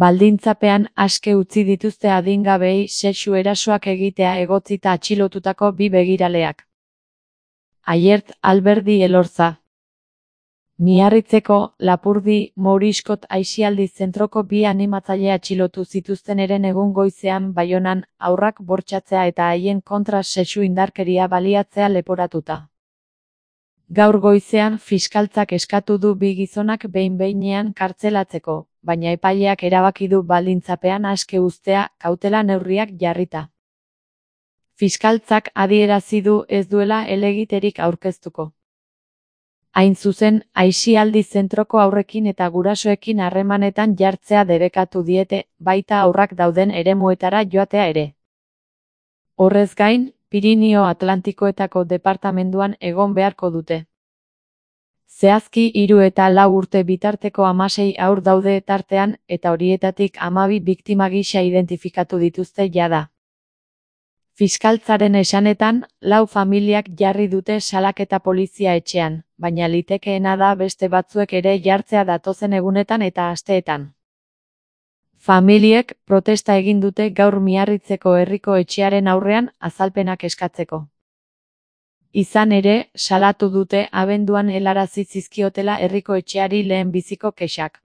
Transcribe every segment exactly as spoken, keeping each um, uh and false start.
Baldintzapean aske utzi dituzte adingabeei sexu erasoak egitea egotzita atxilotutako bi begiraleak. Aiert Alberdi Elorza. Miarritzeko, Lapurdi, Mouriskot aisialdi zentroko bi animatzaile atxilotu zituzten eren egun goizean Baionan, haurrak bortxatzea eta haien kontra sexu indarkeria baliatzea leporatuta. Gaur goizean fiskaltzak eskatu du bi gizonak behin-behinean kartzelatzeko, baina epaileak erabaki du baldintzapean aske uztea, kautela neurriak jarrita. Fiskaltzak adierazi du ez duela helegiterik aurkeztuko. Hain zuzen, aisialdi zentroko haurrekin eta gurasoekin harremanetan jartzea debekatu diete, baita haurrak dauden eremuetara joatea ere. Horrez gain, Pirinio Atlantikoetako departamenduan egon beharko dute. Zehazki hiru eta lau urte bitarteko hamasei haur daude tartean eta horietatik hamabi biktima gisa identifikatu dituzte jada. Fiskaltzaren esanetan, lau familiak jarri dute salaketa polizia etxean, baina litekeena da beste batzuek ere jartzea datozen egunetan eta asteetan. Familiek protesta egin dute gaur Miarritzeko herriko etxearen aurrean azalpenak eskatzeko. Izan ere, salatu dute abenduan helarazi zizkiotela herriko etxeari lehenbiziko kexak.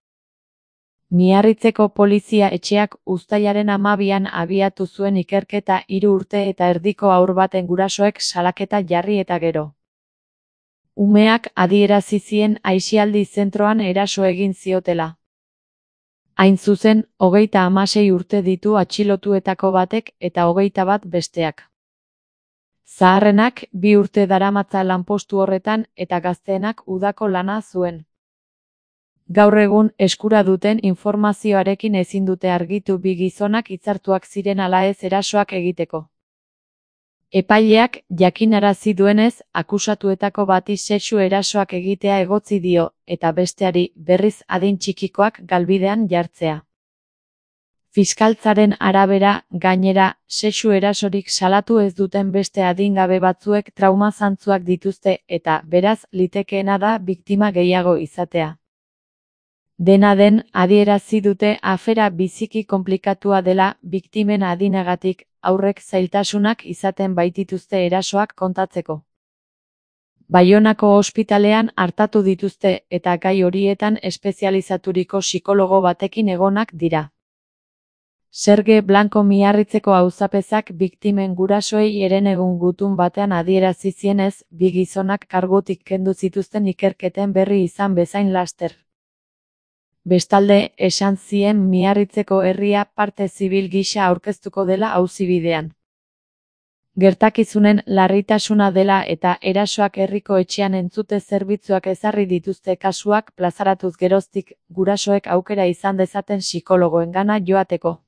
Miarritzeko polizia etxeak uztailaren hamabian abiatu zuen ikerketa hiru urte eta erdiko haur baten gurasoek salaketa jarri eta gero. Umeak adierazi zien aisialdi zentroan eraso egin ziotela. Hain zuzen, hogeita hamasei urte ditu atxilotuetako batek eta hogeita bat besteak. Zaharrenak bi urte daramatza lanpostu horretan eta gazteenak udako lana zuen. Gaur egun eskura duten informazioarekin ezin dute argitu bi gizonak hitzartuak ziren ala ez erasoak egiteko. Epaileak jakinarazi duenez, akusatuetako bati sexu erasoak egitea egotzi dio, eta besteari, berriz adin txikikoak galbidean jartzea. Fiskaltzaren arabera, gainera, sexu erasorik salatu ez duten beste adingabe batzuek trauma zantzuak dituzte eta, beraz, litekeena da biktima gehiago izatea. Dena den, adierazi dute afera biziki konplikatua dela biktimen adinagatik, haurrek zailtasunak izaten baitituzte erasoak kontatzeko. Baionako ospitalean artatu dituzte eta gai horietan espezializaturiko psikologo batekin egonak dira. Serge Blanco Miarritzeko auzapezak biktimen gurasoei eren egun gutun batean adierazi zienez, bi gizonak kargutik kendu zituzten ikerketen berri izan bezain laster. Bestalde, esan zien Miarritzeko herria parte zibil gisa aurkeztuko dela auzibidean. Gertakizunen larritasuna dela eta erasoak herriko etxean entzute zerbitzuak ezarri dituzte kasuak plazaratuz geroztik, gurasoek aukera izan dezaten psikologoengana joateko.